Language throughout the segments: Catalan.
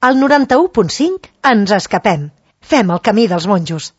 Al 91.5 ens escapem. Fem el camí dels monjos.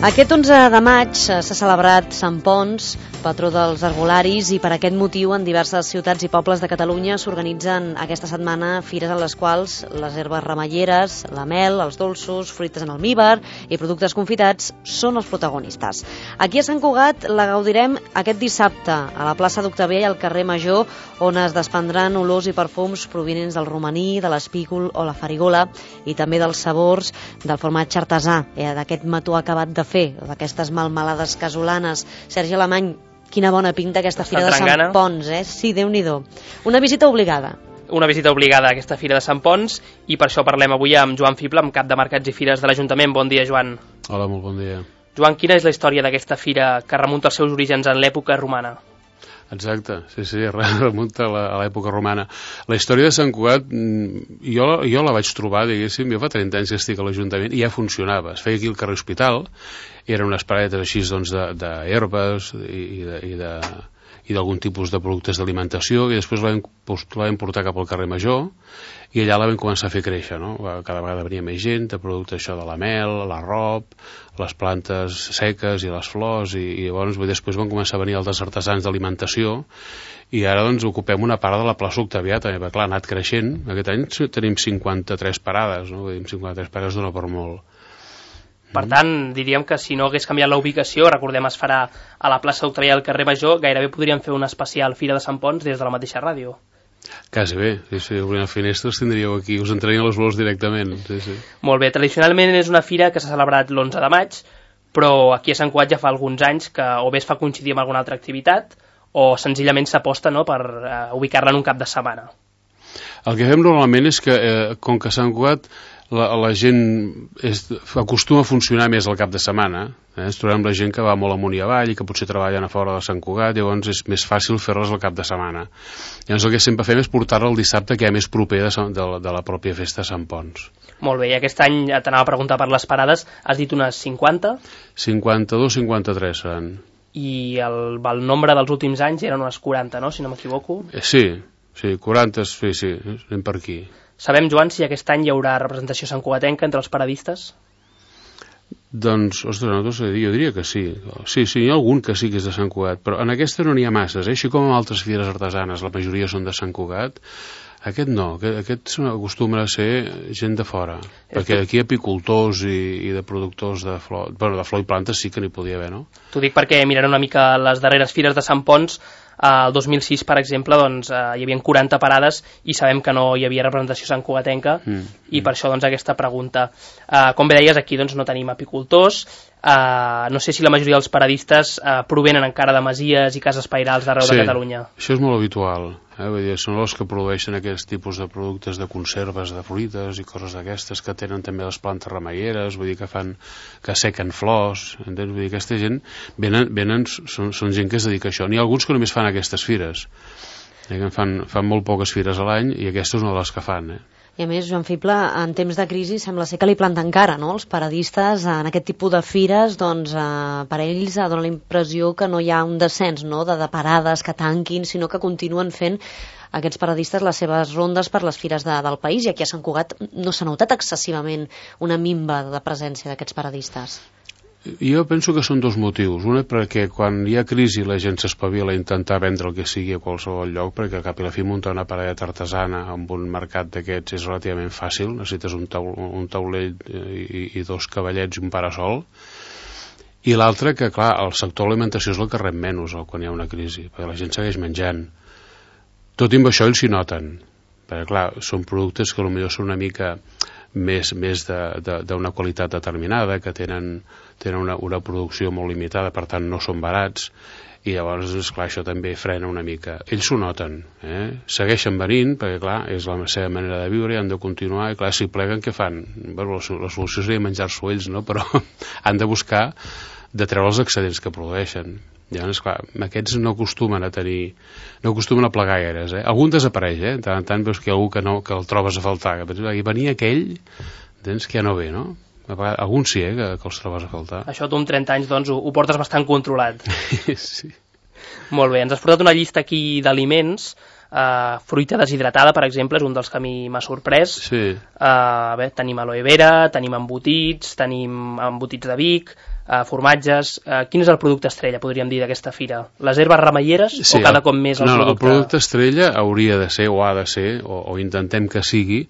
Aquest 11 de maig s'ha celebrat Sant Ponç, patró dels herbolaris, i per aquest motiu en diverses ciutats i pobles de Catalunya s'organitzen aquesta setmana fires en les quals les herbes remeieres, la mel, els dolços, fruites en almíbar i productes confitats són els protagonistes. Aquí a Sant Cugat la gaudirem aquest dissabte a la plaça d'Octavià i al carrer Major, on es desprendran olors i perfums provinents del romaní, de l'espígol o la farigola i també dels sabors del formatge artesà, d'aquest mató acabat de fer, d'aquestes melmelades casolanes. Sergi Alemany, quina bona pinta aquesta fira de Sant Ponç, Sí, Déu-n'hi-do. Una visita obligada. Una visita obligada a aquesta fira de Sant Ponç, i per això parlem avui amb Joan Fibla, amb cap de Mercats i Fires de l'Ajuntament. Bon dia, Joan. Hola, molt bon dia. Joan, quina és la història d'aquesta fira que remunta els seus orígens en l'època romana? Exacte, sí, remunta a l'època romana. La història de Sant Cugat, jo la vaig trobar, diguéssim, jo fa 30 anys que estic a l'Ajuntament i ja funcionava. Es feia aquí al carrer Hospital, i eren unes paradetes així doncs d'herbes i d'algun tipus de productes d'alimentació, i després la vam portar cap al carrer Major, i allà la vam començar a fer créixer, no? Cada vegada venia més gent, de productes això de la mel, l'arrop, les plantes seques i les flors, i llavors després van començar a venir els artesans d'alimentació, i ara doncs ocupem una part de la plaça Octavià també, perquè clar, ha anat creixent. Aquest any tenim 53 parades, no? 53 parades dona per molt. Per tant, diríem que si no hagués canviat la ubicació, recordem, es farà a la plaça Octavià al carrer Major, gairebé podríem fer una especial Fira de Sant Ponç des de la mateixa ràdio. Quasi bé, si obrint les finestres tindríeu aquí, us entrarien les olors directament. Sí. Molt bé, tradicionalment és una fira que s'ha celebrat l'11 de maig, però aquí a Sant Cugat ja fa alguns anys que o bé es fa coincidir amb alguna altra activitat o senzillament s'aposta, no, per ubicar-la en un cap de setmana. El que fem normalment és que, com que a Sant Cugat la gent acostuma a funcionar més al cap de setmana, ens trobem la gent que va molt amunt i avall i que potser treballen a fora de Sant Cugat, llavors és més fàcil fer-les al cap de setmana. Llavors el que sempre fem és portar-la el dissabte, que és més proper de la pròpia festa de Sant Ponç. Molt bé, i aquest any t'anava a preguntar per les parades, has dit unes 50? 52, 53 seran. I el nombre dels últims anys eren unes 40, no?, si no m'equivoco? Sí, 40, sí, anem per aquí. Sabem, Joan, si aquest any hi haurà representació santcugatenca entre els paradistes? Doncs, ostres, no t'ho sé dir, jo diria que sí. Sí, hi ha algun que sí que és de Sant Cugat, però en aquesta no n'hi ha masses, així com en altres fires artesanes, la majoria són de Sant Cugat. Aquest no, aquest acostuma a ser gent de fora, perquè aquí apicultors i de productors de flor, de flor i plantes sí que n'hi podia haver, no? T'ho dic perquè mirant una mica les darreres fires de Sant Ponç, el 2006, per exemple, doncs, hi havia 40 parades i sabem que no hi havia representació santcugatenca, i per això doncs, aquesta pregunta. Com bé deies, aquí doncs, no tenim apicultors, no sé si la majoria dels paradistes provenen encara de masies i cases pairals d'arreu de Catalunya. Sí, això és molt habitual. Vull dir, són els que produeixen aquests tipus de productes de conserves de fruites i coses d'aquestes, que tenen també les plantes remeieres, vull dir que sequen flors, entens? Vull dir, aquesta gent són gent que es dedica a això. N'hi ha alguns que només fan aquestes fires, fan molt poques fires a l'any, i aquesta és una de les que fan, I a més, Joan Fibla, en temps de crisi sembla ser que li planten cara, no? Els paradistes en aquest tipus de fires, doncs per ells dona la impressió que no hi ha un descens, no?, de parades que tanquin, sinó que continuen fent aquests paradistes les seves rondes per les fires del país, i aquí a Sant Cugat no s'ha notat excessivament una minva de presència d'aquests paradistes. Jo penso que són dos motius. Un és perquè quan hi ha crisi la gent s'espavila a intentar vendre el que sigui a qualsevol lloc, perquè al cap i la fi muntar una paradeta artesana amb un mercat d'aquests és relativament fàcil, necessites un taulell i dos cavallets i un parasol. I l'altre, que clar, el sector de l'alimentació és el que rep menys quan hi ha una crisi, perquè la gent segueix menjant. Tot i amb això ells s'hi noten, perquè clar, són productes que potser són una mica més d'una qualitat determinada, que tenen una producció molt limitada, per tant no són barats, i llavors, esclar, això també frena una mica. Ells s'ho noten, segueixen venint, perquè clar, és la seva manera de viure i han de continuar, i clar, si pleguen, què fan? Bueno, la solució seria menjar-s'ho ells, no? Però han de buscar treure els excedents que produeixen. Llavors, clar, aquests no acostumen a plegar gaires, Algun desapareix, tant en tant veus que hi ha algú que el trobes a faltar, que venia aquell, tens que ja no ve, no? Alguns sí, que els trobes a faltar. Això tu amb 30 anys, doncs, ho portes bastant controlat. Sí. Molt bé, ens has portat una llista aquí d'aliments. Fruita deshidratada, per exemple, és un dels que a mi m'ha sorprès. Sí. Tenim aloe vera, tenim embotits de Vic, formatges. Quin és el producte estrella, podríem dir, d'aquesta fira? Les herbes remeieres o cada cop més el producte? El producte estrella hauria de ser, o ha de ser, o intentem que sigui,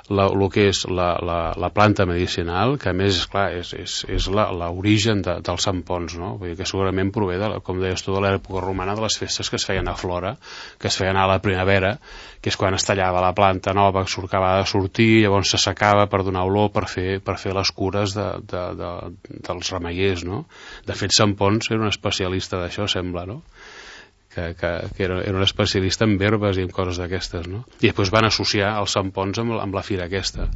el que és la planta medicinal, que a més, esclar, és l'origen dels Sant Ponç, no? Vull dir que segurament prové, com deies tu, de l'època romana, de les festes que es feien a Flora, que es feien a la primavera, que és quan es tallava la planta nova, que acabava de sortir, llavors s'assecava per donar olor, per fer les cures dels remeiers, no? De fet, Sant Ponç era un especialista d'això, sembla, no? Que era un especialista en herbes i en coses d'aquestes, no? I després van associar el Sant Ponç amb la fira aquesta.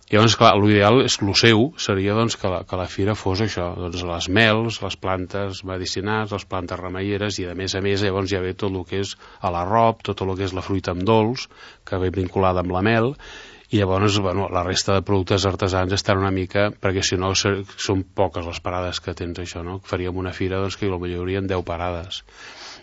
I llavors, clar, l'ideal és el seu seria, doncs, que la fira fos això, doncs, les mels, les plantes medicinals, les plantes remeieres, i a més llavors ja ve tot el que és l'arrop, tot el que és la fruita amb dolç, que ve vinculada amb la mel, i llavors, la resta de productes artesans estan una mica, perquè si no són poques les parades que tens això, no? Faríem una fira, doncs, que potser hi haurien 10 parades.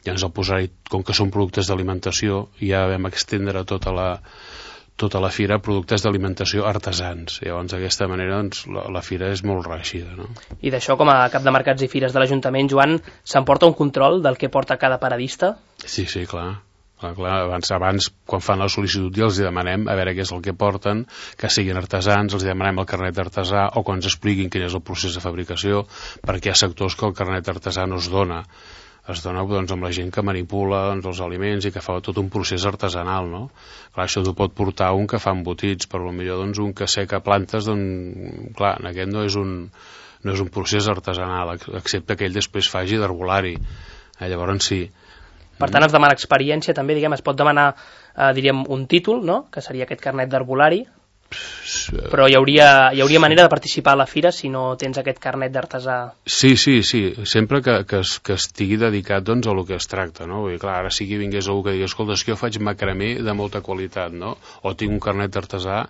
Llavors, al posar-hi, com que són productes d'alimentació, ja vam extendre tota la fira productes d'alimentació artesans. Llavors, d'aquesta manera, doncs, la fira és molt reeixida, no? I d'això, com a cap de mercats i fires de l'Ajuntament, Joan, s'emporta un control del que porta cada paradista? Sí, clar. Abans, quan fan la sol·licitud, ja els demanem a veure què és el que porten, que siguin artesans, els demanem el carnet d'artesà, o quan ens expliquin quin és el procés de fabricació, perquè hi ha sectors que el carnet d'artesà no es dona. Es dona, doncs, amb la gent que manipula, doncs, els aliments i que fa tot un procés artesanal, no? Clar, això t'ho pot portar un que fa embotits, però potser, doncs, un que seca plantes, doncs, clar, aquest no és un procés artesanal, excepte que ell després faci d'herbolari. Llavors sí. Per tant, es demana experiència, també, es pot demanar, diríem, un títol, no?, que seria aquest carnet d'herbolari, però hi hauria manera de participar a la fira si no tens aquest carnet d'artesà. Sí, sempre que estigui dedicat, doncs, a lo que es tracta, no? Vull dir, clar, ara sí que vingués algú que digui, escolta, és que jo faig macramé de molta qualitat, no? O tinc un carnet d'artesà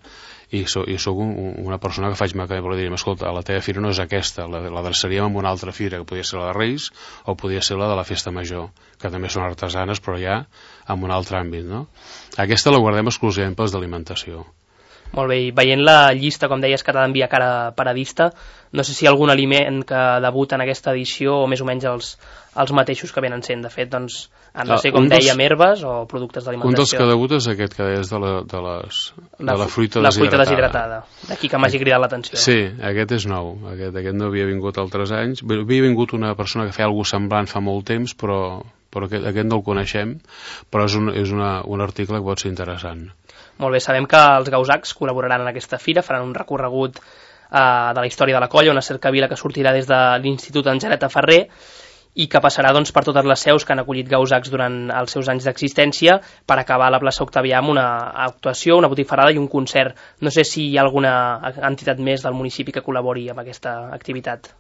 i soc una persona que faig macramé, però diríem, escolta, la teva fira no és aquesta, l'adreçaríem a una altra fira, que podria ser la de Reis o podria ser la de la Festa Major, que també són artesanes, però ja en un altre àmbit, no? Aquesta la guardem exclusivament pels d'alimentació. Molt bé, i veient la llista, com deies, que t'ha d'enviar cada paradista, no sé si hi ha algun aliment que debuta en aquesta edició o més o menys els mateixos que venen sent. De fet, doncs, no sé, com dèiem, herbes o productes d'alimentació. Un dels que debuta és aquest que deies de la fruita deshidratada. La fruita deshidratada, d'aquí que m'hagi cridat l'atenció. Sí, aquest és nou, aquest no havia vingut altres anys. Havia vingut una persona que feia alguna cosa semblant fa molt temps, però aquest no el coneixem, però és un article que pot ser interessant. Molt bé, sabem que els Gausacs col·laboraran en aquesta fira, faran un recorregut de la història de la colla, una cercavila que sortirà des de l'Institut Angeleta Ferrer i que passarà, doncs, per totes les seus que han acollit Gausacs durant els seus anys d'existència per acabar a la plaça Octavià amb una actuació, una botifarrada i un concert. No sé si hi ha alguna entitat més del municipi que col·labori amb aquesta activitat.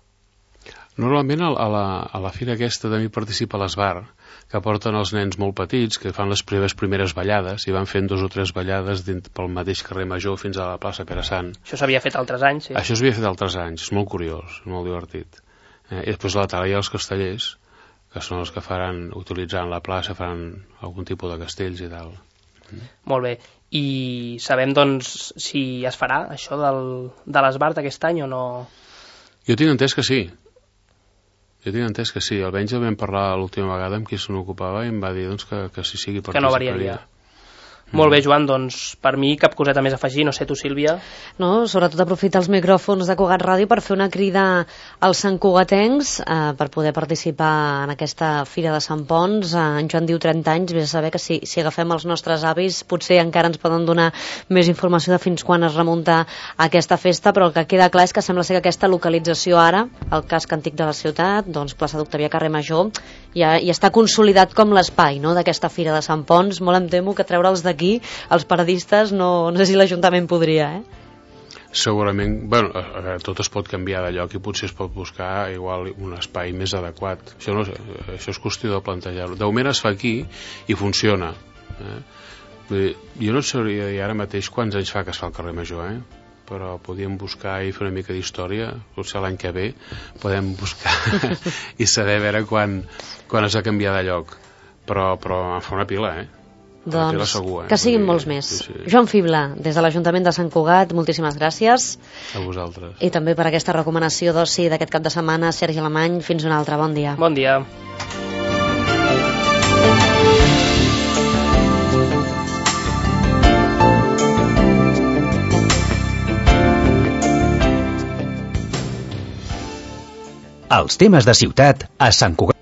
Normalment a la fira aquesta també participa l'Esbar, que porten els nens molt petits, que fan les primeres ballades, i van fent 2 o 3 ballades pel mateix carrer Major fins a la plaça Pere Sant. Això s'havia fet altres anys, sí? Això s'havia fet altres anys, és molt curiós, molt divertit. I després a la tarda hi ha els castellers, que són els que faran, utilitzant la plaça, faran algun tipus de castells i tal. Molt bé. I sabem, doncs, si es farà això de l'Esbar aquest any o no? Jo tinc entès que sí. Almenys el vam parlar l'última vegada amb qui se n'ocupava i em va dir, doncs, que sí, que participaria. Que no variaria. Molt bé, Joan, doncs per mi cap coseta més a afegir, no sé tu, Sílvia. No, sobretot aprofitar els micròfons de Cugat Ràdio per fer una crida als santcugatencs per poder participar en aquesta Fira de Sant Ponç. En Joan diu 30 anys, vés a saber que si agafem els nostres avis potser encara ens poden donar més informació de fins quan es remunta aquesta festa, però el que queda clar és que sembla ser que aquesta localització ara, el casc antic de la ciutat, doncs plaça d'Octavià, carrer Major, ja està consolidat com l'espai, no?, d'aquesta Fira de Sant Ponç. Molt em temo que treure'ls d'aquí, els paradistes, no sé si l'Ajuntament podria, segurament, bueno, tot es pot canviar de lloc i potser es pot buscar igual un espai més adequat. Això, no, això és qüestió de plantejar-ho. De moment es fa aquí i funciona. Jo no sabria dir ara mateix quants anys fa que es fa el carrer Major, però podíem buscar i fer una mica d'història, potser l'any que ve podem buscar i saber a veure quan es va canviar de lloc, però en fa una pila, Doncs segur, que siguin molts més. Sí. Joan Fibla, des de l'Ajuntament de Sant Cugat, moltíssimes gràcies. A vosaltres. I també per aquesta recomanació d'oci d'aquest cap de setmana. Sergi Alemany, fins un altre, bon dia. Bon dia. Els temes de ciutat a Sant Cugat.